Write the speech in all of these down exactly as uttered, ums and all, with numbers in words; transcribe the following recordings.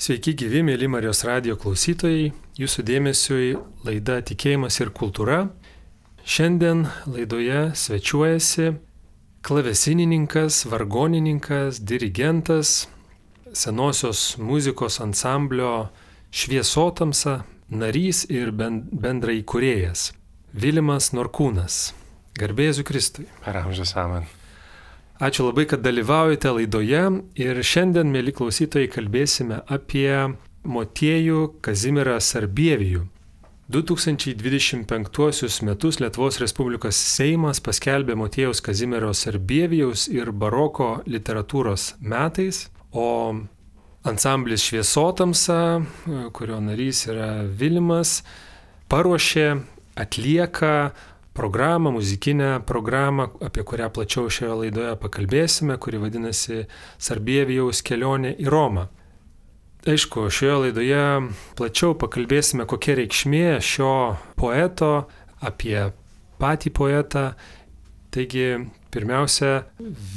Sveiki gyvi, mėly Marijos radijo klausytojai, jūsų dėmesiui laida Tikėjimas ir kultūra. Šiandien laidoje svečiuojasi klavesinininkas, vargonininkas, dirigentas, senosios muzikos ansamblio Šviesotamsa narys ir bendrai įkūrėjas Vilimas Norkūnas. Garbė Jėzui Kristui. Per amžius amen. Ačiū labai, kad dalyvaujate laidoje ir šiandien, mėly klausytojai, kalbėsime apie Motiejų Kazimierą Sarbievijų. du tūkstančiai dvidešimt penktuosius metus Lietuvos Respublikos Seimas paskelbė Motiejaus Kazimiero Sarbievijaus ir baroko literatūros metais, o ansamblis Šviesotamsa, kurio narys yra Vilimas, paruošė, atlieka programą, muzikinę programą, apie kurią plačiau šioje laidoje pakalbėsime, kuri vadinasi Sarbievijaus kelionė į Romą. Aišku, šioje laidoje plačiau pakalbėsime, kokia reikšmė šio poeto, apie patį poetą. Taigi, pirmiausia,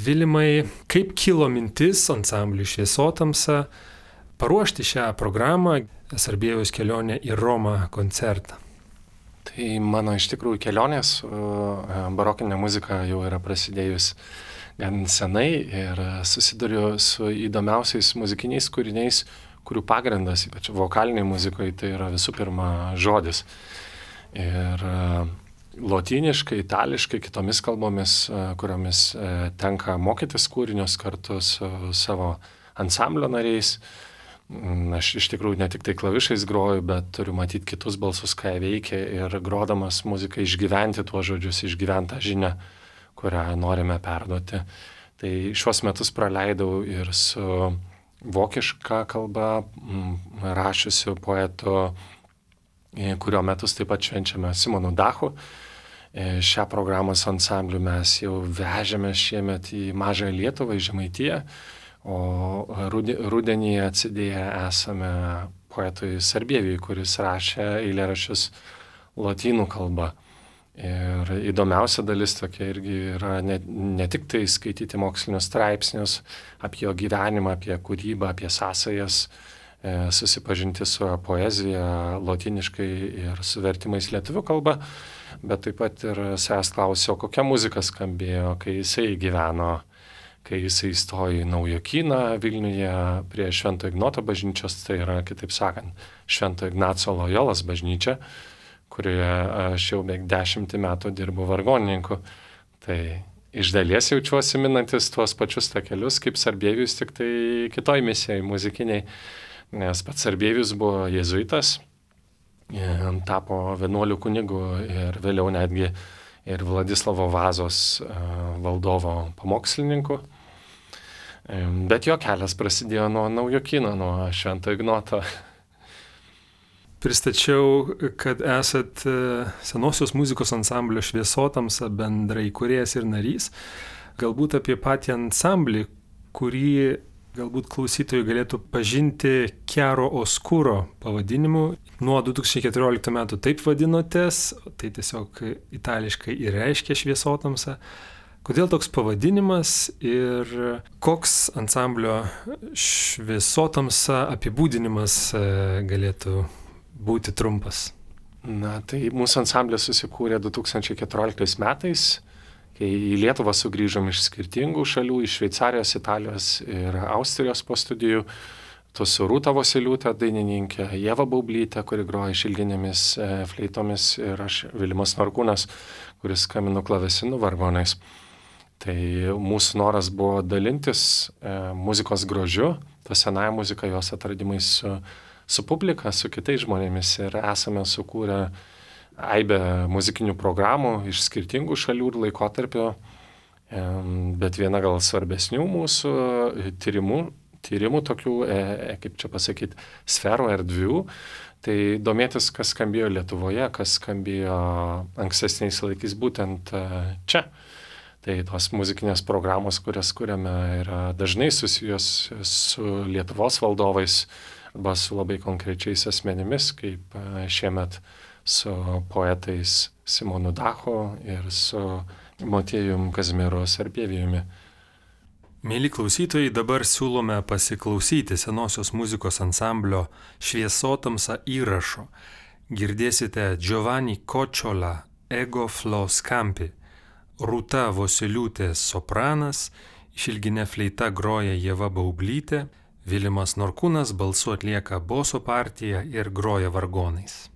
Vilimai, kaip kilo mintis ansambliui Šviesotamsa paruošti šią programą Sarbievijaus kelionė į Romą koncertą? Tai mano iš tikrųjų kelionės su barokinė muzika jau yra prasidėjus gan senai ir susiduriu su įdomiausiais muzikiniais kūriniais, kurių pagrindas, ypač vokaliniai muzikoje, tai yra visų pirma žodis. Ir lotyniškai, itališkai, kitomis kalbomis, kuriomis tenka mokytis kūrinius kartu su savo ansamblio nariais. Aš iš tikrųjų ne tik tai klavišais groju, bet turiu matyti kitus balsus, ką jie veikia ir grodamas muziką išgyventi tuos žodžius, išgyventą žinią, kurią norime perduoti. Tai šiuos metus praleidau ir su vokiška kalba rašiusiu poetu, kurio metus taip pat švenčiame Simonu Dachu. Šią programą su ansambliu mes jau vežėme šiemet į Mažąją Lietuvą, į Žemaitiją. O rudenį atsidėję esame poetui Sarbievijui, kuris rašė eilėraščius lotynų kalba. Ir įdomiausia dalis tokia irgi yra ne, ne tik tai skaityti mokslinius straipsnius apie jo gyvenimą, apie kūrybą, apie sąsajas, e, susipažinti su poezija lotyniškai ir su vertimais lietuvių kalba, bet taip pat ir savęs klausiau, kokia muzika skambėjo, kai jisai gyveno, kai jisai įstojo į Naujokyną Vilniuje prie Švento Ignoto bažnyčios, tai yra, kitaip sakant, Švento Ignaco Lojolos bažnyčia, kurioje aš jau beveik dešimtį metų dirbu vargonininku. Tai iš dalies jaučiuosi minantis tuos pačius takelius kaip Sarbievijus, tik tai kitoj misijai muzikiniai, nes pats Sarbievijus buvo jėzuitas, tapo vienuolių kunigu ir vėliau netgi ir Vladislavo Vazos valdovo pamokslininku. Bet jo kelias prasidėjo nuo Naujokyno, nuo Švento Ignoto. Pristačiau, kad esat senosios muzikos ansamblio Šviesotamsa bendrai įkūrėjas ir narys. Galbūt apie patį ansamblį, kurį galbūt klausytojai galėtų pažinti Chiaro Oscuro pavadinimu. Nuo du tūkstančiai keturioliktų metų taip vadinotės, tai tiesiog itališkai ir reiškia Šviesotamsa. Kodėl toks pavadinimas ir koks ansamblio Šviesotamsa apibūdinimas galėtų būti trumpas? Na, tai mūsų ansamblis susikūrė du tūkstančiai keturioliktais metais, kai į Lietuvą sugrįžom iš skirtingų šalių, iš Šveicarijos, Italijos ir Austrijos po studijų. Tu su Rūta Vosyliūtė, dainininkė, Ieva Baublytė, kuri groja šilginėmis fleitomis, ir aš, Vilimas Norkūnas, kuris skambino klavesinu vargonais. Tai mūsų noras buvo dalintis e, muzikos grožiu, tą senąją muziką, jos atradimais su, su publika, su kitais žmonėmis, ir esame sukūrę aibę muzikinių programų iš skirtingų šalių ir laikotarpio, e, bet viena gal svarbesnių mūsų tyrimų, tyrimų tokių, e, kaip čia pasakyti, sferų, erdvių, tai domėtis, kas skambėjo Lietuvoje, kas skambėjo ankstesniais laikais būtent čia. Tai tos muzikinės programos, kurias kuriame, yra dažnai susijęs su Lietuvos valdovais arba su labai konkrečiais asmenimis, kaip šiemet su poetais Simonu Dachu ir su Motiejum Kazimieru Sarbievijumi. Mėly klausytojai, dabar siūlome pasiklausyti senosios muzikos ansamblio Šviesotamsa įrašo. Girdėsite Giovanni Kočiola Ego Flo Scampi, Rūta Vosiliūtė sopranas, išilginė fleita groja Ieva Baublytė, Vilimas Norkūnas balsu atlieka boso partiją ir groja vargonais.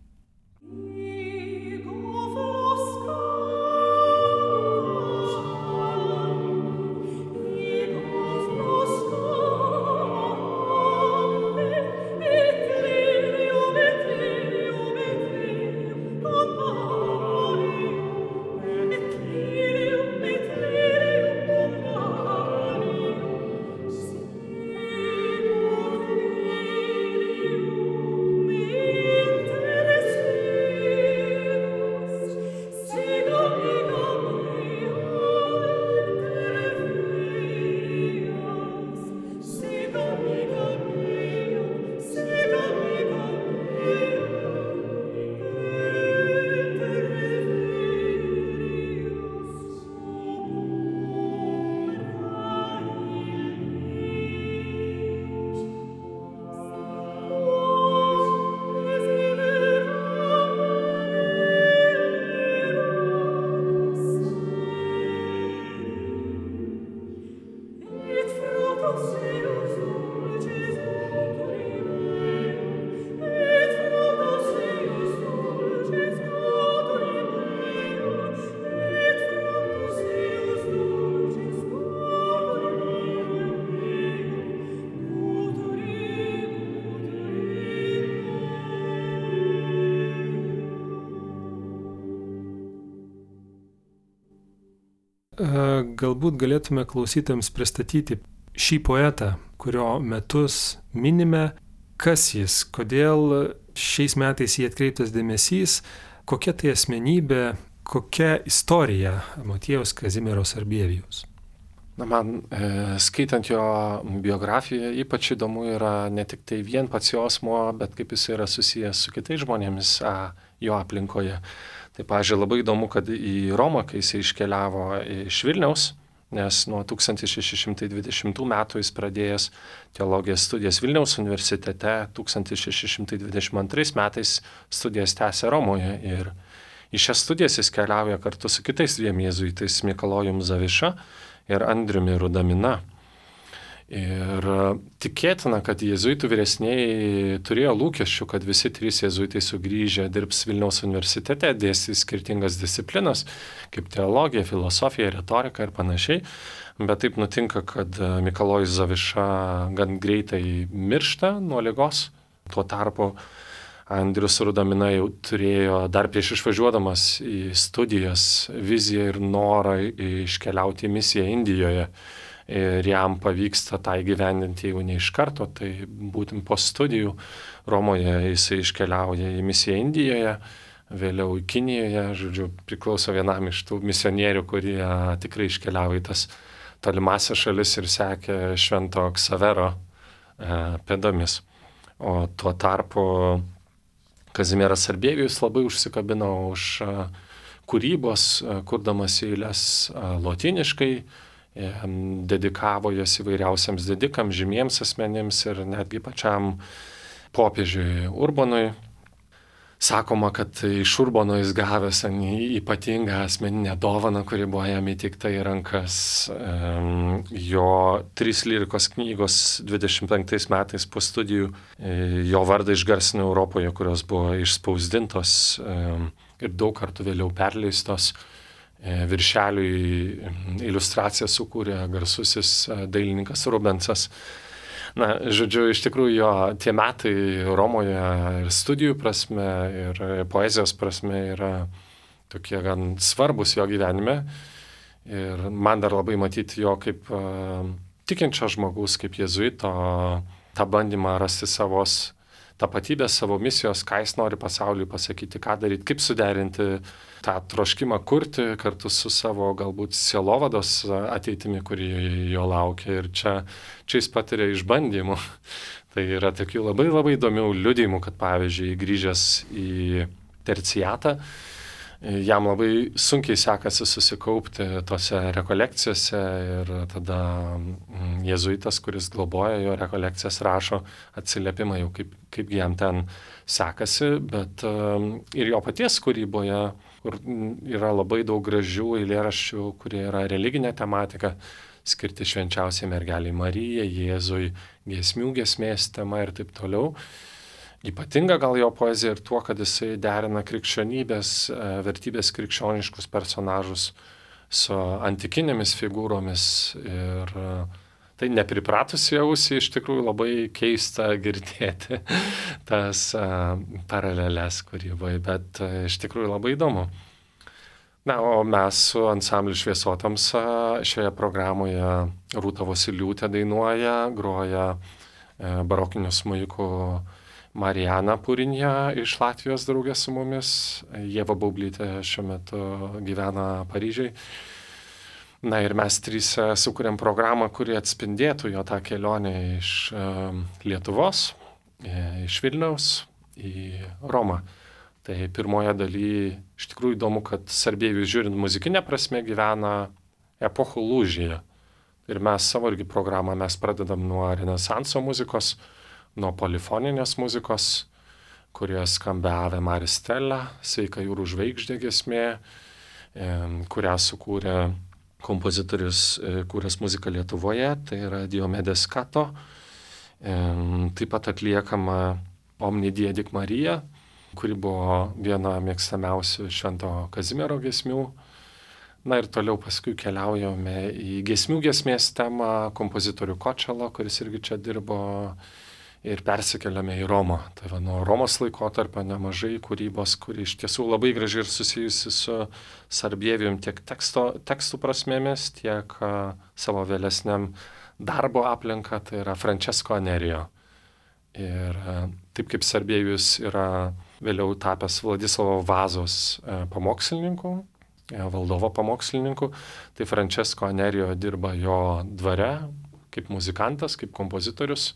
Galbūt galėtume klausytams pristatyti šį poetą, kurio metus minime, kas jis, kodėl šiais metais jį atkreiptas dėmesys, kokia tai asmenybė, kokia istorija Motiejaus Kazimiero Sarbievijaus. Na, man e, skaitant jo biografiją ypač įdomu yra ne tik tai vien pats jo asmuo, bet kaip jis yra susijęs su kitais žmonėmis a, jo aplinkoje. Tai, pavyzdžiui, labai įdomu, kad į Romą, kai jis iškeliavo iš Vilniaus, nes nuo tūkstantis šeši šimtai dvidešimtų metų jis pradėjęs teologijos studijas Vilniaus universitete, tūkstantis šeši šimtai dvidešimt antrais metais studijas tęsė Romoje ir į šias studijas jis keliauja kartu su kitais dviem jėzuitais, Mikalojum Zaviša ir Andriumi Rudamina. Ir tikėtina, kad jėzuitų vyresnieji turėjo lūkesčių, kad visi trys jėzuitai sugrįžę dirbs Vilniaus universitete, dėstys skirtingas disciplinas, kaip teologija, filosofija, retorika ir panašiai. Bet taip nutinka, kad Mikalojus Zaviša gan greitai miršta nuo ligos. Tuo tarpu Andrius Rudamina jau turėjo dar prieš išvažiuodamas į studijas viziją ir norą iškeliauti į misiją Indijoje. Ir jam pavyksta tą įgyvendinti jau ne iš karto, tai būtent po studijų Romoje jisai iškeliauja į misiją Indijoje, vėliau į Kinijoje, žodžiu, priklauso vienam iš tų misionierių, kurie tikrai iškeliavo į tas tolimasias šalis ir sekė Švento Ksavero e, pėdomis. O tuo tarpu Kazimieras Sarbievijus labai užsikabino už e, kūrybos, e, kurdamas eiles e, lotyniškai, dedikavo jas įvairiausiams didikams, žymiems asmenims ir netgi pačiam popiežiui Urbonui. Sakoma, kad iš Urbono jis gavęs ypatingą asmeninę dovaną, kuri buvo jam įteikta į rankas. Jo trys lyrikos knygos dvidešimt penktais metais po studijų jo vardą išgarsino Europoje, kurios buvo išspausdintos ir daug kartų vėliau perleistos. Viršeliui iliustraciją sukūrė garsusis dailininkas Rubensas. Na, žodžiu, iš tikrųjų jo tie metai Romoje ir studijų prasme, ir poezijos prasme yra tokie gan svarbus jo gyvenime. Ir man dar labai matyti jo kaip uh, tikinčio žmogus, kaip jėzuito, tą bandymą rasti savos tapatybės, savo misijos, ką jis nori pasauliui pasakyti, ką daryti, kaip suderinti tą troškimą kurti kartu su savo galbūt sielovados ateitimi, kuri jo laukia. Ir čia, čia jis patiria išbandymų. Tai yra tokių labai labai įdomių liudijimų, kad pavyzdžiui, grįžęs į terciatą, jam labai sunkiai sekasi susikaupti tose rekolekcijose ir tada jėzuitas, kuris globoja jo rekolekcijas, rašo atsiliepimą jau kaip, kaip jam ten sekasi, bet ir jo paties kūryboje, kur yra labai daug gražių eilėraščių, kurie yra religinė tematika, skirti švenčiausiai mergeliai Marijai, Jėzui, giesmių giesmės tema ir taip toliau. Ypatinga gal jo poezija ir tuo, kad jisai derina krikščionybės, vertybės krikščioniškus personažus su antikinėmis figūromis ir tai nepripratusi ausį iš tikrųjų labai keista girdėti tas paraleles kūryboje, bet iš tikrųjų labai įdomu. Na, o mes su ansambliu Šviesotoms šioje programoje Rūta Vosyliūtė dainuoja, groja barokiniu smuiku Mariana Purinja iš Latvijos draugė su mumis, Ieva Baublytė šiuo metu gyvena Paryžiai. Na ir mes tryse sukūrėm programą, kuri atspindėtų jo tą kelionę iš Lietuvos, iš Vilniaus į Romą. Tai pirmoje dalyje iš tikrųjų įdomu, kad Sarbievijus žiūrint muzikinę prasme gyvena epochų lūžyje. Ir mes savo irgi programą mes pradedam nuo renesanso muzikos, nuo polifoninės muzikos, kurie skambia Ave Maris Stella, Sveika jūrų žvaigždė giesmė, kurią sukūrė kompozitorius, kūręs muziką Lietuvoje, tai yra Diomedes Kato. Taip pat atliekama Omni Diedik Marija, kuri buvo viena mėgstamiausių Švento Kazimiero giesmių. Na ir toliau paskui keliaujame į giesmių giesmės temą kompozitorių Kočelo, kuris irgi čia dirbo, ir persikeliame į Romą. Tai va, nuo Romos laikotarpio nemažai kūrybos, kuri iš tiesų labai gražiai ir susijusi su Sarbievijum tiek teksto, tekstų prasmėmis, tiek uh, savo vėlesniam darbo aplinka, tai yra Francesco Anerio. Ir uh, taip kaip Sarbievijus yra vėliau tapęs Vladislavo Vazos uh, pamokslininku, uh, valdovo pamokslininku, tai Francesco Anerio dirba jo dvare kaip muzikantas, kaip kompozitorius.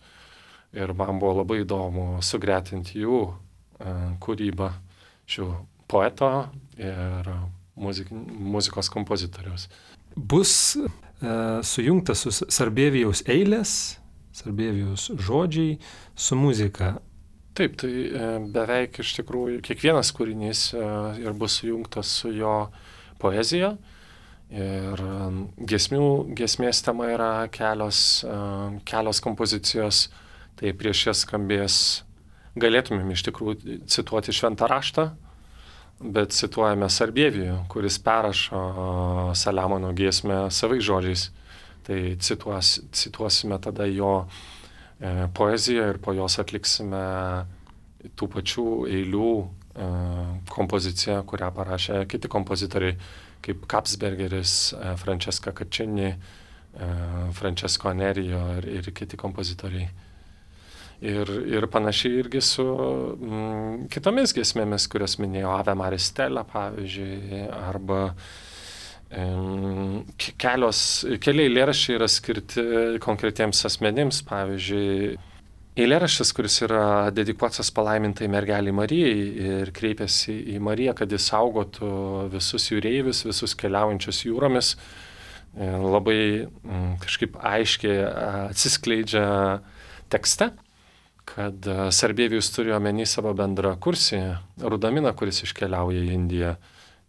Ir man buvo labai įdomu sugretinti jų uh, kūrybą, šių poeto ir muzik, muzikos kompozitoriaus. Bus uh, sujungtas su Sarbievijaus eilės, Sarbievijaus žodžiai su muzika. Taip, tai uh, beveik iš tikrųjų kiekvienas kūrinys uh, ir bus sujungtas su jo poezija. Ir um, giesmių, giesmės tema yra kelios, uh, kelios kompozicijos. Tai prieš jas skambės, galėtumėm iš tikrųjų cituoti Šventą raštą, bet cituojame Sarbievijų, kuris perrašo Saliamono giesmę savais žodžiais. Tai cituos, cituosime tada jo e, poeziją ir po jos atliksime tų pačių eilių e, kompoziciją, kurią parašė kiti kompozitoriai, kaip Kapsbergeris, e, Francesca Caccini, e, Francesco Anerio ir, ir kiti kompozitoriai. Ir, ir panašiai irgi su mm, kitomis giesmėmis, kurias minėjau, Ave Maris Stella, pavyzdžiui, arba mm, kelios, keli eilėraščiai yra skirti konkretiems asmenims, pavyzdžiui, eilėraštis, kuris yra dedikuotas palaimintai mergeliai Marijai ir kreipiasi į Mariją, kad jis saugotų visus jūreivius, visus keliaujančius jūromis, labai mm, kažkaip aiškiai atsiskleidžia tekste, kad Sarbievijus turi omeny savo bendrą kursį, Rudaminą, kuris iškeliauja į Indiją.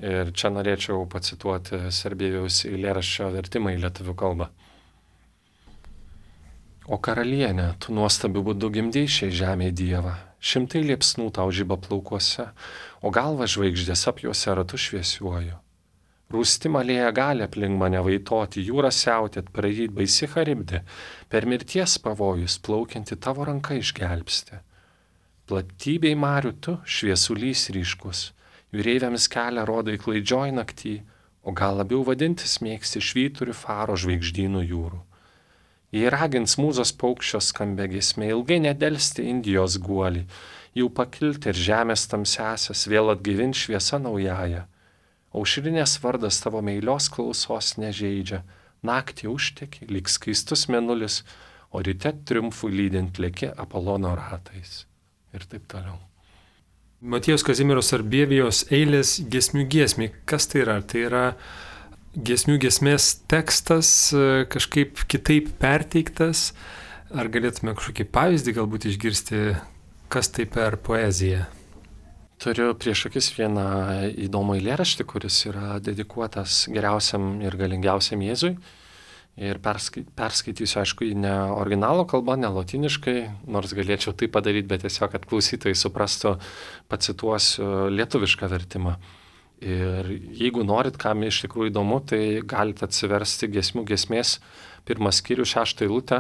Ir čia norėčiau pacituoti Sarbievijus eilėraščio vertimą į lietuvių kalbą. O karalienė, tu nuostabiu būdu gimdei šiai žemei Dievą, šimtai liepsnų tau žiba plaukuose, o galva žvaigždės apjuose ratu šviesiuoju. Rūsti malėja gali aplink mane vaitoti, jūra siautėt, praryt baisi charibdė, per mirties pavojus plaukianti tavo ranka išgelbsti. Platybei marių tu šviesulys ryškus, jūreiviams kelią rodai klaidžioj naktį, o gal labiau vadintis mėgsti švyturių faro žvaigždynų jūrų. Jei ragins mūzos paukščio skambia giesmė, ilgai nedelsti Indijos guolį, jau pakilti ir žemės tamsiasias vėl atgaivint šviesa naująją. Aušrinės vardas tavo meilios klausos nežeidžia, naktį užteki, lyg skaistus mėnulis, o ryte triumfų lydint lėki Apolono ratais. Ir taip toliau. Motiejaus Kazimiero Sarbievijaus eilės giesmių giesmė. Kas tai yra? Tai yra giesmių giesmės tekstas kažkaip kitaip perteiktas? Ar galėtume kažkokį pavyzdį galbūt išgirsti, kas tai per poeziją? Turiu prieš akis vieną įdomų eilėraštį, kuris yra dedikuotas geriausiam ir galingiausiam Jėzui. Ir perskai, perskaitysiu, aišku, į ne originalo kalbą, ne lotyniškai, nors galėčiau tai padaryti, bet tiesiog, kad klausytojai suprastų, pacituosiu lietuvišką vertimą. Ir jeigu norit, kam iš tikrųjų įdomu, tai galite atsiversti giesmių giesmės pirmą skyrių šeštą eilutę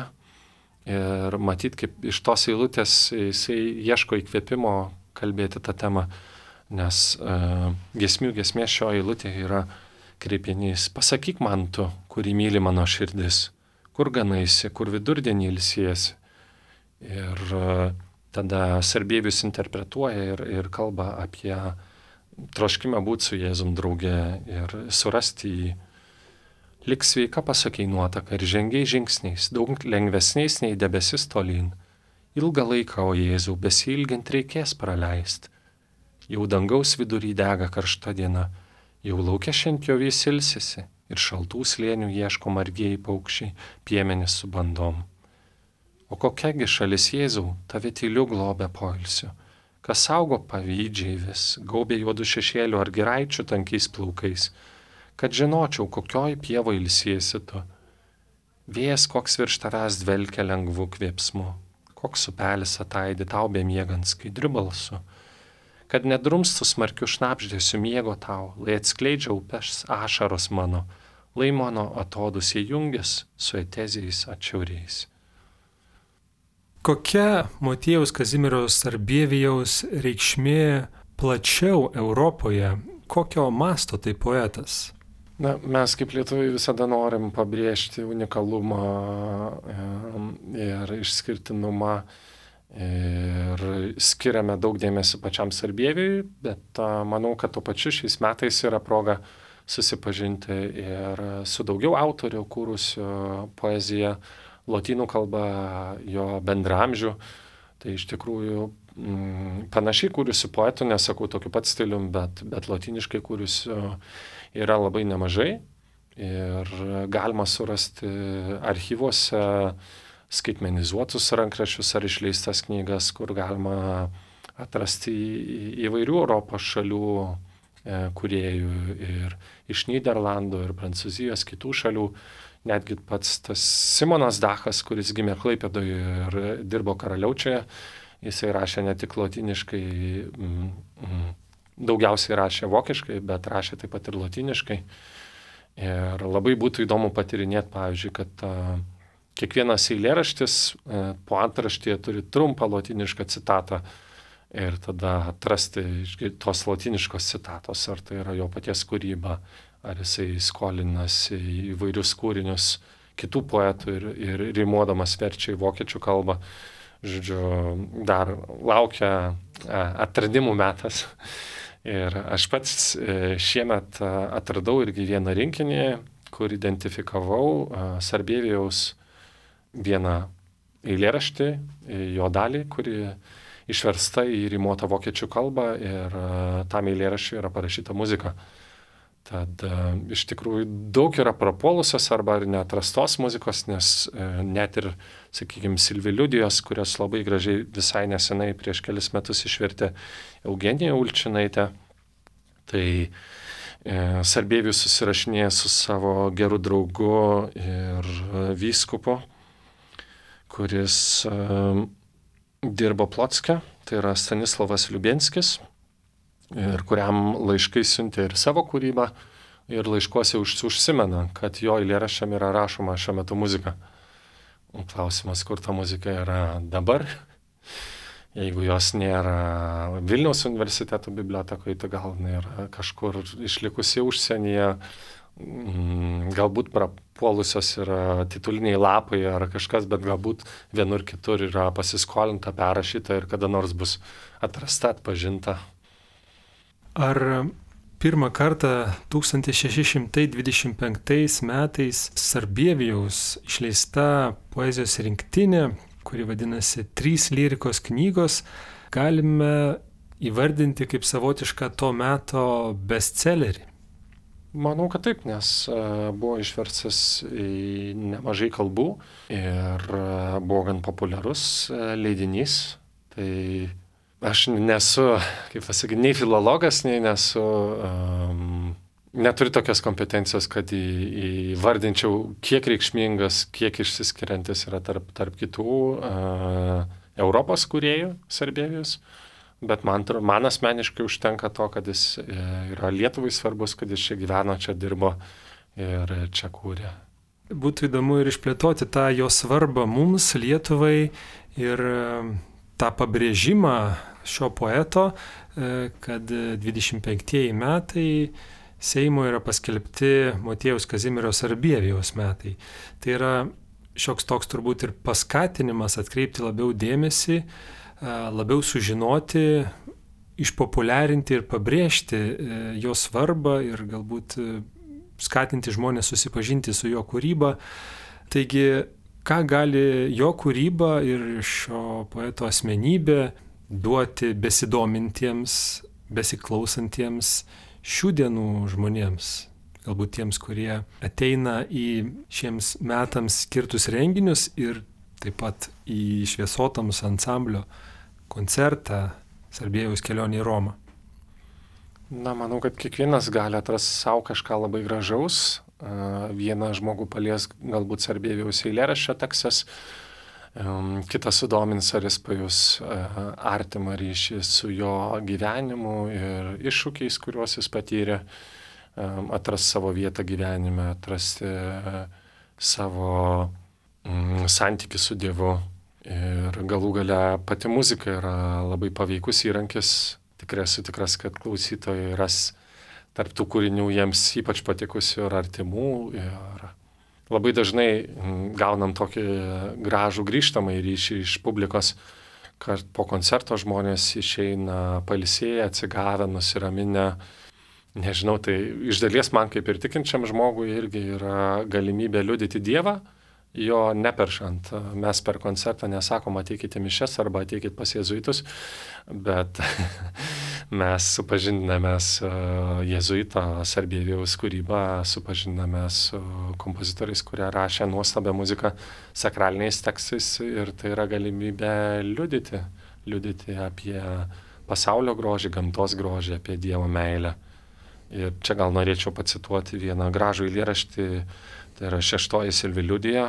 ir matyti, kaip iš tos eilutės jisai ieško įkvėpimo kalbėti tą temą, nes uh, giesmių giesmės šio eilutė yra kreipinys: pasakyk man tu, kurį myli mano širdis, kur ganaisi, kur vidurdienį ilsiesi. Ir uh, tada Sarbievijus interpretuoja ir, ir kalba apie troškimą būti su Jėzum drauge ir surasti jį. Lik sveika pasakei nuotaka ir žengiai žingsniais, daug lengvesniais nei debesis tolyn. Ilgą laiką, o Jėzau, besilgiant reikės praleist. Jau dangaus vidury dega karšta diena, jau laukia šiandien ilsisi ir šaltų slėnių ieško margieji paukščiai, piemenys su bandom. O kokiagi šalis Jėzau, tave tyliu globia poilsiu, kas saugo pavydžiai vis, gaubė juodų šešėlių ar giraičių tankiais plaukais, kad žinočiau, kokioj pievo ilsiesi tu. Vėjas koks virš tavęs dvelkia lengvu kvėpsmu, koks upelis ataidi tau bemiegant skaidriu balsu, kad nedrumstų smarkiu šnabždėsiu miego tau, lai atskleidžia upės ašaros mano, lai mano atodusiai jungis su etezijais atšiauriais. Kokia Motiejaus Kazimiero Sarbievijaus reikšmė plačiau Europoje? Kokio masto tai poetas? Na, mes kaip lietuviai visada norim pabrėžti unikalumą ir išskirtinumą ir skiriame daug dėmesio pačiam Sarbievijui, bet manau, kad tuo pačiu šiais metais yra proga susipažinti ir su daugiau autorių kūrusių poeziją lotynų kalba, jo bendramžių. Tai iš tikrųjų mm, panašiai kūrusių poetų, nesakau tokiu pat stilium, bet, bet lotyniškai kūrusių yra labai nemažai ir galima surasti archyvuose skaitmenizuotus rankraščius ar išleistas knygas, kur galima atrasti įvairių Europos šalių kūrėjų ir iš Nyderlandų ir Prancūzijos, kitų šalių. Netgi pats tas Simonas Dachas, kuris gimė Klaipėdoje ir dirbo Karaliaučiuje, jisai rašė ne tik lotyniškai, mm, mm, daugiausiai rašė vokiškai, bet rašė taip pat ir lotyniškai. Ir labai būtų įdomu patyrinėti, pavyzdžiui, kad a, kiekvienas eilėraštis a, po antraštėje turi trumpą lotynišką citatą ir tada atrasti tos lotyniškos citatos, ar tai yra jo paties kūryba, ar jisai skolinasi įvairius kūrinius kitų poetų ir, ir rimuodamas verčia į vokiečių kalbą. Žodžiu, dar laukia atradimų metas. Ir aš pats šiemet atradau irgi vieną rinkinį, kur identifikavau Sarbievijaus vieną eilėraštį, jo dalį, kuri išversta į rimuotą vokiečių kalbą ir tam eilėraščiui yra parašyta muzika. Tad iš tikrųjų daug yra prapuolusios arba neatrastos muzikos, nes net ir, sakykime, Silviliudijos, kurios labai gražiai visai nesenai prieš kelis metus išvertė Eugenija Ulčinaitė, tai e, Sarbievijus susirašinėja su savo geru draugu ir vyskupu, kuris e, dirbo Plocke, tai yra Stanislavas Liubenskis, ir kuriam laiškai siuntė ir savo kūrybą, ir laiškuose užsimena, kad jo eilėraščiam yra rašoma šiuo metu muzika. Klausimas, kur ta muzika yra dabar. Jeigu jos nėra Vilniaus universiteto bibliotekoje, tai gal nėra kažkur išlikusi užsienyje, galbūt prapuolusios yra tituliniai lapai ar kažkas, bet galbūt vienur kitur yra pasiskolinta, perrašyta ir kada nors bus atrasta, atpažinta. Ar pirmą kartą tūkstantis šeši šimtai dvidešimt penktais metais Sarbievijaus išleista poezijos rinktinė, kuri vadinasi Trys lyrikos knygos, galime įvardinti kaip savotišką to meto bestsellerį? Manau, kad taip, nes buvo išverstas į nemažai kalbų ir buvo gan populiarus leidinys. Tai aš nesu, kaip pasakyti, nei filologas, nei nesu, um, neturiu tokios kompetencijos, kad į, įvardinčiau, kiek reikšmingas, kiek išsiskiriantis yra tarp, tarp kitų uh, Europos kūrėjų Sarbievijaus. Bet man, man asmeniškai užtenka to, kad jis yra Lietuvai svarbus, kad jis čia gyveno, čia dirbo ir čia kūrė. Būtų įdomu ir išplėtoti tą jo svarbą mums, Lietuvai, ir tą pabrėžimą šio poeto, kad dvidešimt penktieji metai Seimo yra paskelbti Motiejaus Kazimiero Sarbievijaus metai. Tai yra šioks toks turbūt ir paskatinimas atkreipti labiau dėmesį, labiau sužinoti, išpopuliarinti ir pabrėžti jo svarbą ir galbūt skatinti žmonės susipažinti su jo kūryba. Taigi, ką gali jo kūryba ir šio poeto asmenybė duoti besidomintiems, besiklausantiems šių dienų žmonėms? Galbūt tiems, kurie ateina į šiems metams skirtus renginius ir taip pat į Šviesotams ansamblio koncertą Sarbievijaus kelionė į Romą. Na, manau, kad kiekvienas gali atrasti savo kažką labai gražaus. Vieną žmogų palies galbūt Sarbievijaus eilėraščio tekstas, kitas sudomins, ar jis pajus artimą ryšį su jo gyvenimu ir iššūkiais, kuriuos jis patyrė, atrasti savo vietą gyvenime, atrasti savo santykį su Dievu. Ir galų gale pati muzika yra labai paveikus įrankis. Tikrai esu tikras, kad klausytojai ras tarp tų kūrinių jiems ypač patikusių ir artimų. Ir labai dažnai gaunam tokį gražų grįžtamą ryšį iš publikos, kad po koncerto žmonės išeina pailsėję, atsigavę, nusiraminę. Nežinau, tai iš dalies man kaip ir tikinčiam žmogui irgi yra galimybė liudyti Dievą, jo neperšant. Mes per koncertą nesakom ateikite mišias arba ateikite pas jėzuitus, bet mes supažindiname su jėzuito Sarbievijaus kūryba, supažindiname su kompozitoriais, kurie rašė nuostabią muziką sakraliniais tekstais, ir tai yra galimybė liudyti, liudyti apie pasaulio grožį, gamtos grožį, apie Dievo meilę. Ir čia gal norėčiau pacituoti vieną gražų eilėraštį. Tai yra šeštoji Silviliudija.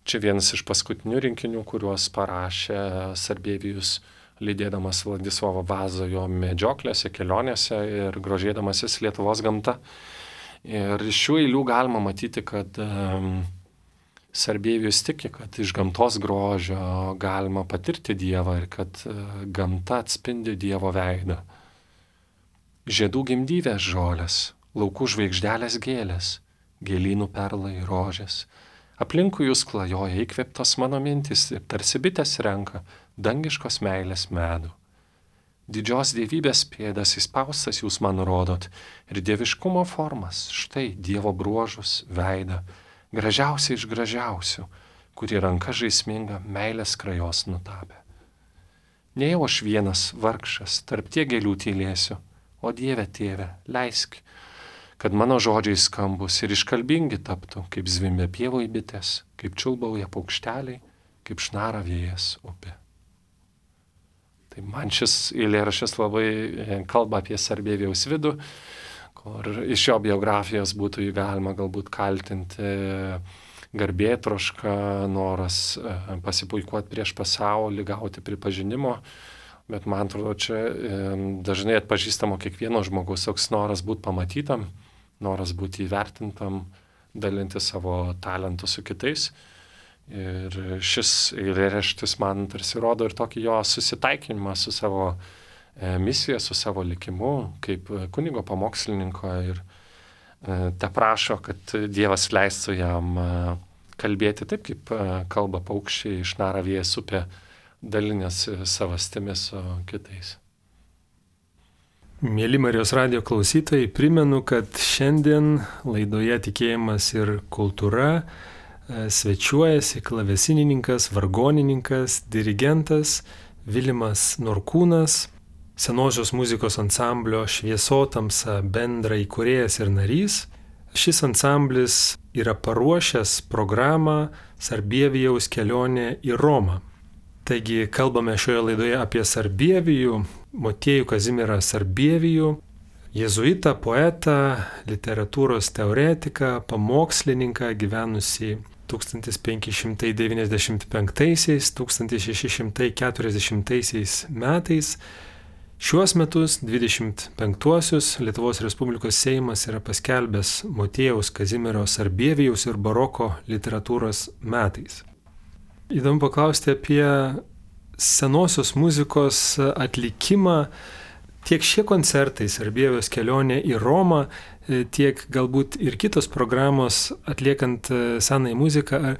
Čia vienas iš paskutinių rinkinių, kuriuos parašė Sarbievijus, lydėdamas Vladislovo Vazo jo medžioklėse, kelionėse ir grožėdamasis Lietuvos gamta. Ir iš šių eilių galima matyti, kad um, Sarbievijus tiki, kad iš gamtos grožio galima patirti Dievą ir kad uh, gamta atspindi Dievo veidą. Žiedų gimdyvės žolės, laukų žvaigždelės gėlės, gėlynų perlai rožės. Aplinkui jūs klajoja įkvėptos mano mintis ir tarsi bitės renka dangiškos meilės medų. Didžios dievybės pėdas įspaustas jūs man rodot ir dieviškumo formas, štai Dievo bruožus, veidą, gražiausia iš gražiausių, kuri ranka žaisminga meilės krajos nutapė. Nejau aš vienas vargšas, tarp tie gėlių tylėsiu, o Dieve tėve, leisk, kad mano žodžiai skambus ir iškalbingi taptų, kaip zvimbia pievoj bitės, kaip čiulbauja paukšteliai, kaip šnara vėjas upė. Tai man šis eilėraštis labai kalba apie Sarbievijaus vidų, kur iš jo biografijos būtų jį galima galbūt kaltinti garbėtroška, noras pasipuikuoti prieš pasaulį, gauti pripažinimo. Bet man atrodo, čia dažnai atpažįstamo kiekvieno žmogaus toks noras būti pamatytam, noras būti įvertintam, dalinti savo talentų su kitais. Ir šis eilėraštis man tarsi rodo ir tokį jo susitaikinimą su savo misija, su savo likimu, kaip kunigo pamokslininko. Ir te prašo, kad Dievas leistų jam kalbėti taip, kaip kalba paukščiai, šnara vėjas upė, dalinėsi savastimis su kitais. Mėly Marijos radijo klausytojai, primenu, kad šiandien laidoje Tikėjimas ir kultūra svečiuojasi klavesinininkas, vargonininkas, dirigentas Vilimas Norkūnas, senosios muzikos ansamblio Šviesotamsa bendra įkūrėjas ir narys. Šis ansamblis yra paruošęs programą Sarbievijaus kelionė į Romą. Taigi kalbame šioje laidoje apie Sarbievijų, Motiejų Kazimierą Sarbievijų, jėzuitą, poetą, literatūros teoretiką, pamokslininką gyvenusį tūkstantis penki šimtai devyniasdešimt penktaisiais - tūkstantis šeši šimtai keturiasdešimtaisiais metais. Šiuos metus, dvidešimt penktuosius, Lietuvos Respublikos Seimas yra paskelbęs Motiejaus Kazimiero Sarbievijaus ir baroko literatūros metais. Įdomu paklausti apie senosios muzikos atlikimą. Tiek šie koncertai, Sarbievijos kelionė į Romą, tiek galbūt ir kitos programos atliekant senąją muziką,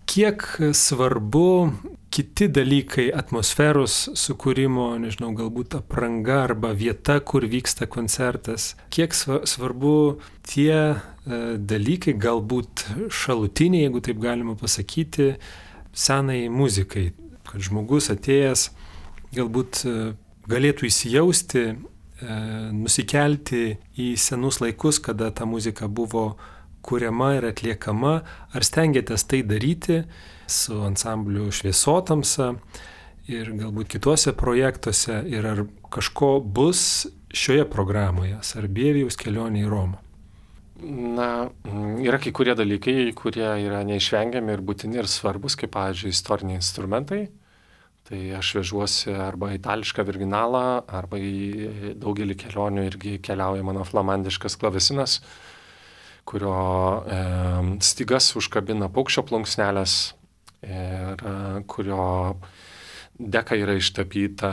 kiek svarbu kiti dalykai, atmosferos sukūrimo, nežinau, galbūt apranga arba vieta, kur vyksta koncertas, kiek svarbu tie dalykai, galbūt šalutiniai, jeigu taip galima pasakyti, senai muzikai, kad žmogus atėjęs galbūt galėtų įsijausti, nusikelti į senus laikus, kada ta muzika buvo kuriama ir atliekama. Ar stengiatės tai daryti su ansambliu Šviesotamsa ir galbūt kituose projektuose, ir ar kažko bus šioje programoje Sarbievijaus kelionė į Romą? Na, yra kai kurie dalykai, kurie yra neišvengiami ir būtini ir svarbus, kaip, pavyzdžiui, istoriniai instrumentai. Tai aš vežuosi arba itališką virginalą, arba į daugelį kelionių irgi keliauja mano flamandiškas klavesinas, kurio e, stygas užkabina paukščio plunksnelės ir e, kurio deka yra ištapyta,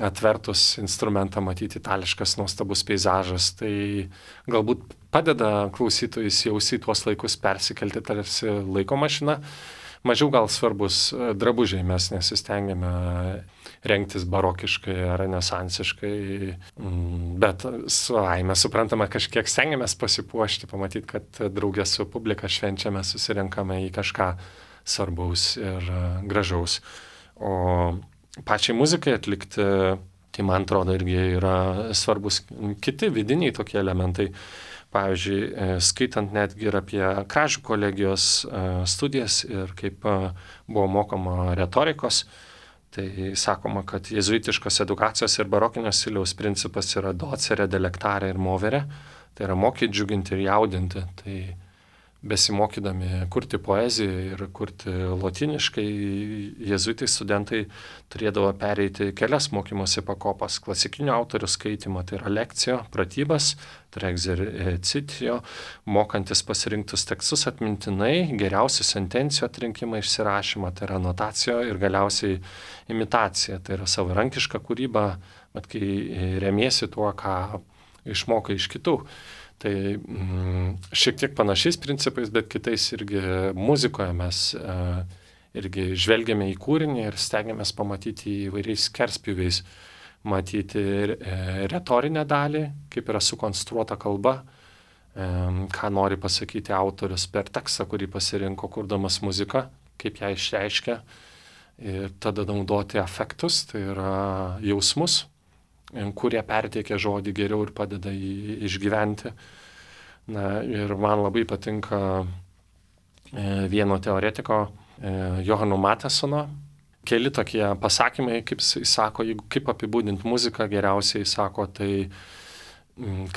atvertus instrumentą matyti itališkas nuostabus peizažas. Tai galbūt padeda klausytojui įsijausti į tuos laikus, persikelti tarsi laiko mašina. Mažiau gal svarbus drabužiai, mes nesistengiame rengtis barokiškai ar renesansiškai, bet savaime suprantama, kažkiek stengiamės pasipuošti, pamatyti, kad draugė su publika švenčiame, susirenkame į kažką svarbaus ir gražaus. O pačiai muzikai atlikti, tai man atrodo irgi yra svarbus kiti vidiniai tokie elementai. Pavyzdžiui, skaitant netgi ir apie Kražių kolegijos studijas ir kaip buvo mokoma retorikos, tai sakoma, kad jėzuitiškos edukacijos ir barokinio stiliaus principas yra docere, delectare ir movere, tai yra mokyti, džiuginti ir jaudinti. Tai besimokydami kurti poeziją ir kurti lotyniškai, jėzuitai studentai turėdavo pereiti kelias mokymosi pakopas: klasikinio autorių skaitymą, tai yra lekcijo, pratybas, tai yra exercitio, mokantis pasirinktus tekstus atmintinai, geriausių sentencijų atrinkimą, išsirašymą, tai yra notacijo, ir galiausiai imitacija, tai yra savarankiška kūryba, bet kai remiesi tuo, ką išmokai iš kitų. Tai mm, šiek tiek panašiais principais, bet kitais irgi muzikoje mes e, irgi žvelgiame į kūrinį ir stengiamės pamatyti įvairiais skerspjūviais, matyti e, retorinę dalį, kaip yra sukonstruota kalba, e, ką nori pasakyti autorius per tekstą, kurį pasirinko kurdamas muziką, kaip ją išreiškia, ir tada naudoti afektus, tai yra jausmus, kurie perteikia žodį geriau ir padeda jį išgyventi. Na, ir man labai patinka e, vieno teoretiko, e, Johano Matesono, keli tokie pasakymai, kaip jis sako, jeigu, kaip apibūdinti muziką geriausiai, sako, tai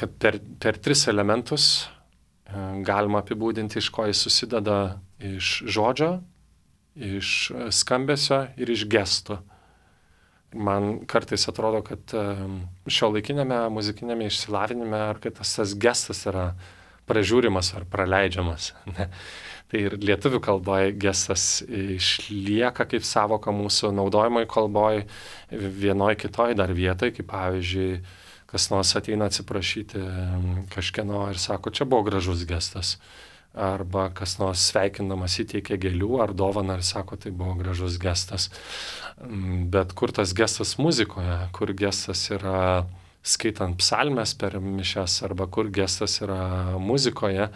kad per, per tris elementus e, galima apibūdinti, iš ko jis susideda: iš žodžio, iš skambesio ir iš gesto. Man kartais atrodo, kad šio laikinėme muzikinėme išsilavinime, ar kad tas, tas gestas yra pražiūrimas ar praleidžiamas. Ne? Tai ir lietuvių kalboje gestas išlieka kaip savoka mūsų naudojimoj kalboje, vienoj kitoj dar vietoj, kaip pavyzdžiui, kas nors ateina atsiprašyti kažkieno ir sako, čia buvo gražus gestas. Arba kas nors sveikindamas įteikia gėlių ar dovaną ir sako, tai buvo gražus gestas. Bet kur tas gestas muzikoje, kur gestas yra skaitant psalmes per mišias, arba kur gestas yra muzikoje,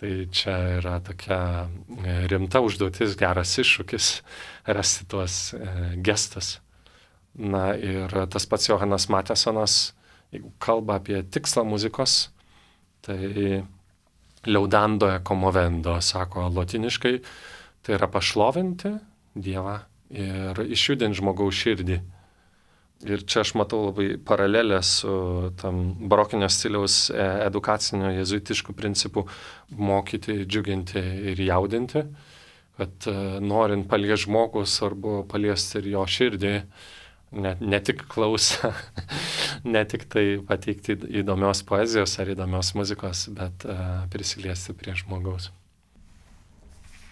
tai čia yra tokia rimta užduotis, geras iššūkis rasti tuos gestas. Na ir tas pats Johanas Matesonas, jeigu kalba apie tikslą muzikos, tai liaudando e commovendo, sako lotiniškai, tai yra pašlovinti Dievą ir išjudinti žmogaus širdį. Ir čia aš matau labai paralelę su tam barokinio stiliaus edukacinio jezuitiškų principų mokyti, džiuginti ir jaudinti, kad norint paliesti žmogų, svarbu paliesti ir jo širdį, ne, ne tik klausą, ne tik tai pateikti įdomios poezijos ar įdomios muzikos, bet uh, prisiliesti prie žmogaus.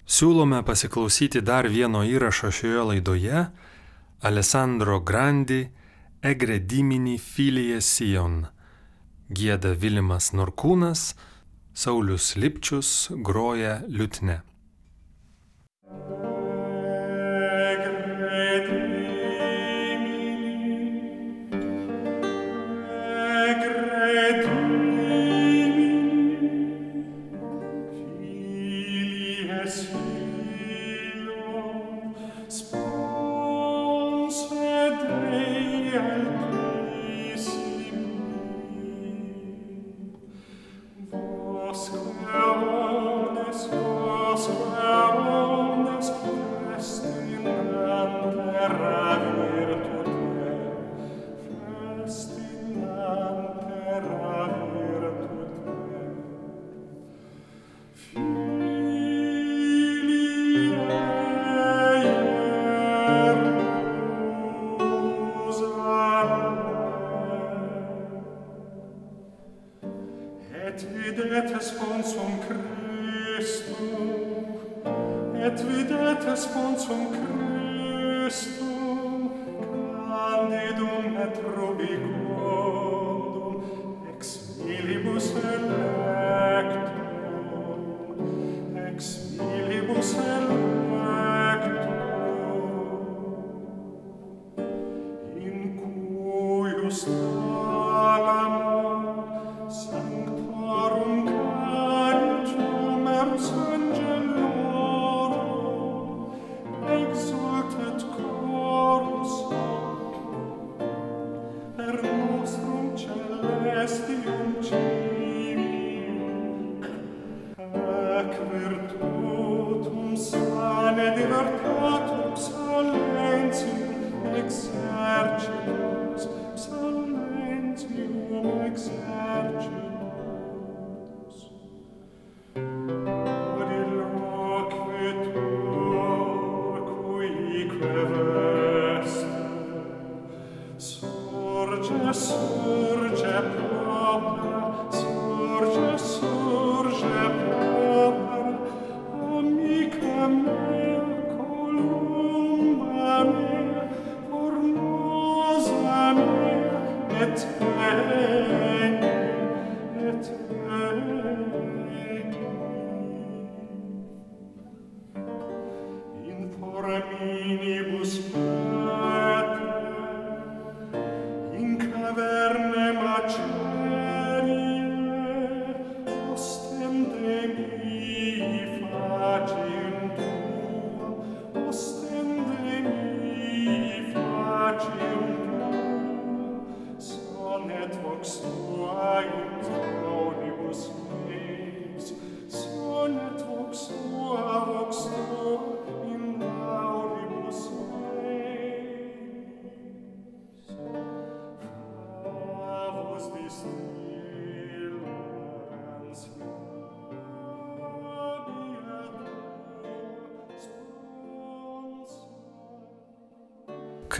Siūlome pasiklausyti dar vieno įrašo šioje laidoje – Alessandro Grandi Egre dimini filie Sion. Gieda Vilimas Norkūnas, Saulius Lipčius groja liutne.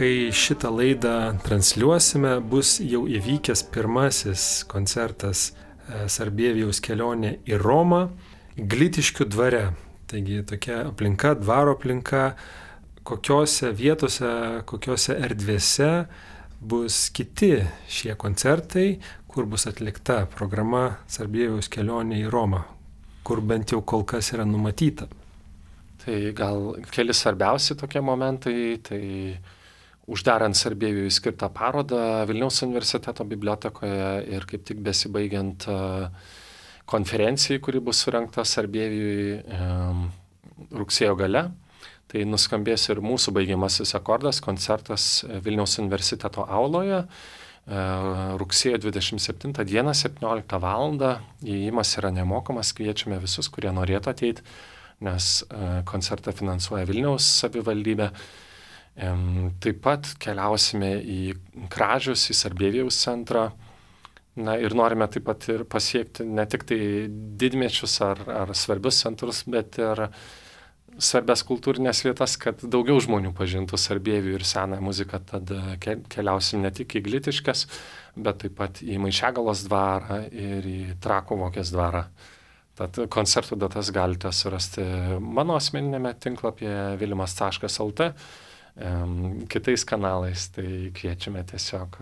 Kai šitą laidą transliuosime, bus jau įvykęs pirmasis koncertas Sarbievijaus kelionė į Romą Glitiškių dvare. Taigi tokia aplinka, dvaro aplinka, kokiose vietose, kokiose erdvėse bus kiti šie koncertai, kur bus atlikta programa Sarbievijaus kelionė į Romą, kur bent jau kol kas yra numatyta. Tai gal keli svarbiausi tokie momentai, tai uždarant Sarbievijui skirtą parodą Vilniaus universiteto bibliotekoje ir kaip tik besibaigiant konferencijai, kuri bus surengta Sarbievijui rugsėjo gale, Tai nuskambės ir mūsų baigiamasis akordas, koncertas Vilniaus universiteto auloje. Rugsėjo dvidešimt septintą dieną, septynioliktą valandą. Įėjimas yra nemokamas, kviečiame visus, kurie norėtų ateiti, nes koncertą finansuoja Vilniaus savivaldybė. Taip pat keliausime į Kražius, į Sarbievijaus centrą. Na ir norime taip pat ir pasiekti ne tik tai didmiečius ar, ar svarbius centrus, bet ir svarbias kultūrinės vietas, kad daugiau žmonių pažintų Sarbievijų ir senąją muziką. Tad keliausim ne tik į Glitiškes, bet taip pat į Maišiagalos dvarą ir į Trakų Vokės dvarą. Tad koncertų datas galite surasti mano asmeninėme tinklapyje vilimas taškas lt, kitais kanalais. Tai kviečiame tiesiog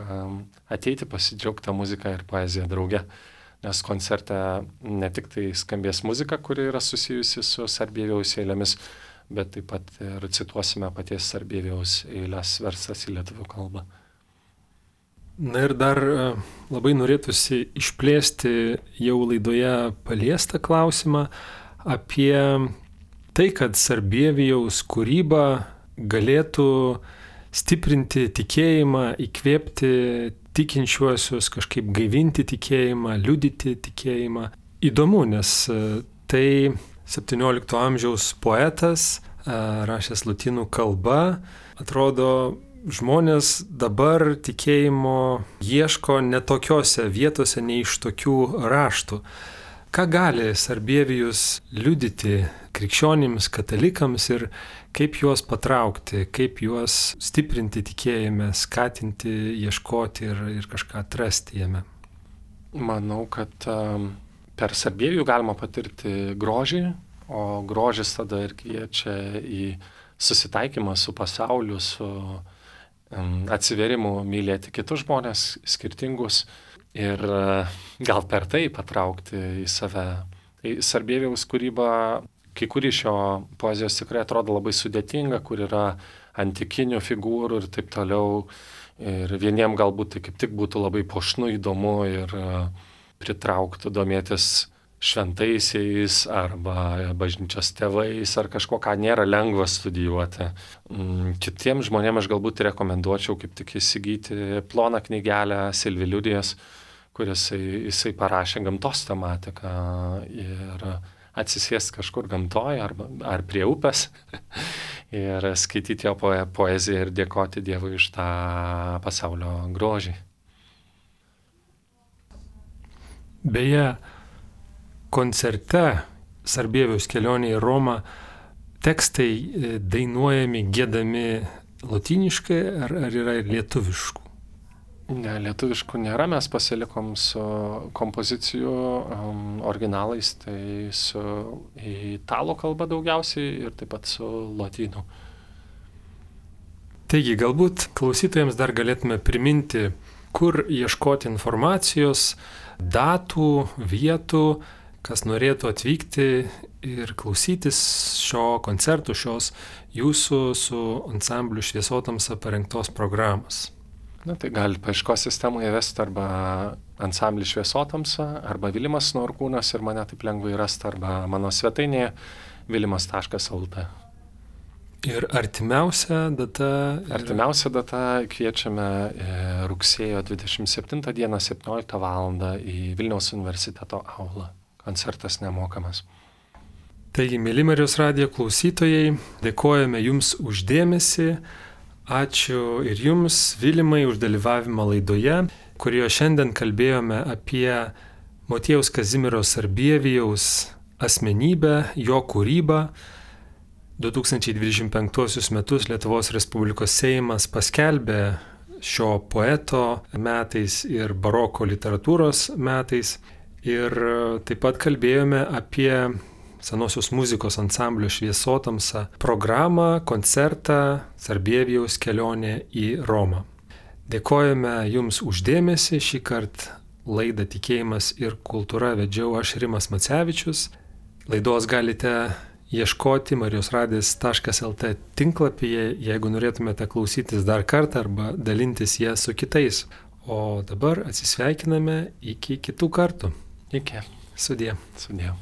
ateiti, pasidžiaugti muziką ir poeziją drauge. Nes koncerte ne tik tai skambės muzika, kuri yra susijusi su Sarbievijaus eilėmis, bet taip pat ir cituosime paties Sarbievijaus eilės verstas į lietuvių kalbą. Na ir dar labai norėtųsi išplėsti jau laidoje paliestą klausimą apie tai, kad Sarbievijaus kūryba galėtų stiprinti tikėjimą, įkvėpti tikinčiuosius, kažkaip gaivinti tikėjimą, liudyti tikėjimą. Įdomu, nes tai septyniolikto amžiaus poetas, rašęs lotynų kalba, atrodo, žmonės dabar tikėjimo ieško netokiose vietose, ne iš tokių raštų. Ką gali Sarbievijus liudyti krikščionims, katalikams ir kaip juos patraukti, kaip juos stiprinti tikėjime, skatinti, ieškoti ir, ir kažką atrasti jame? Manau, kad um, per Sarbievijų galima patirti grožį, o grožis tada ir kviečia į susitaikymą su pasauliu, su um, atsiverimu mylėti kitus žmonės, skirtingus. Ir gal per tai patraukti į save. Tai Sarbievijaus kūryba, kai kuri šio poezijos tikrai atrodo labai sudėtinga, kur yra antikinių figūrų ir taip toliau. Ir vieniem galbūt tai kaip tik būtų labai puošnu, įdomu ir pritrauktų domėtis šventaisiais arba bažnyčios tėvais ar kažko, ką nėra lengva studijuoti. Kitiems žmonėms aš galbūt rekomenduočiau kaip tik įsigyti ploną knygelę Silvi Liudijos, kuris jisai, jisai parašė gamtos tematiką ir atsisėsti kažkur gamtoje ar, ar prie upės ir skaityti jo poeziją ir dėkoti Dievui už tą pasaulio grožį. Beje, koncerte Sarbievijaus kelionė į Romą tekstai dainuojami, giedami lotyniškai ar, ar yra ir lietuviškų? Ne, lietuviškų nėra, mes pasilikom su kompozicijų um, originalais, tai su italų kalba daugiausiai ir taip pat su lotynų. Taigi, galbūt klausytojams dar galėtume priminti, kur ieškoti informacijos, datų, vietų, kas norėtų atvykti ir klausytis šio koncerto, šios jūsų su ansambliu Šviesotamsa parengtos programos. Na, tai gali paieškos sistemoje vesti arba ansamblį Šviesotamsa, arba Vilimas Norkūnas ir mane taip lengvai rasti, arba mano svetainėje vilimas taškas lt. Ir artimiausia data? Artimiausia data kviečiame rugsėjo dvidešimt septintą dieną, septynioliktą valandą į Vilniaus universiteto aulą. Koncertas nemokamas. Taigi, mėly Marijos radijo klausytojai, dėkojame Jums už dėmesį. Ačiū ir Jums, Vilimai, už dalyvavimą laidoje, kurioje šiandien kalbėjome apie Motiejaus Kazimiero Sarbievijaus asmenybę, jo kūrybą. du tūkstančiai dvidešimt penktuosius metus Lietuvos Respublikos Seimas paskelbė šio poeto metais ir baroko literatūros metais. Ir taip pat kalbėjome apie senosios muzikos ansamblio Šviesotamsa programą, koncertą Sarbievijaus kelionė į Romą. Dėkojame Jums uždėmesį. Šį kartą laidą Tikėjimas ir kultūra vedžiau aš, Rimas Macevičius. Laidos galite ieškoti marijos radijas taškas lt tinklapyje, jeigu norėtumėte klausytis dar kartą arba dalintis ją su kitais. O dabar atsisveikiname iki kitų kartų. Iki. Sudie. Sudie.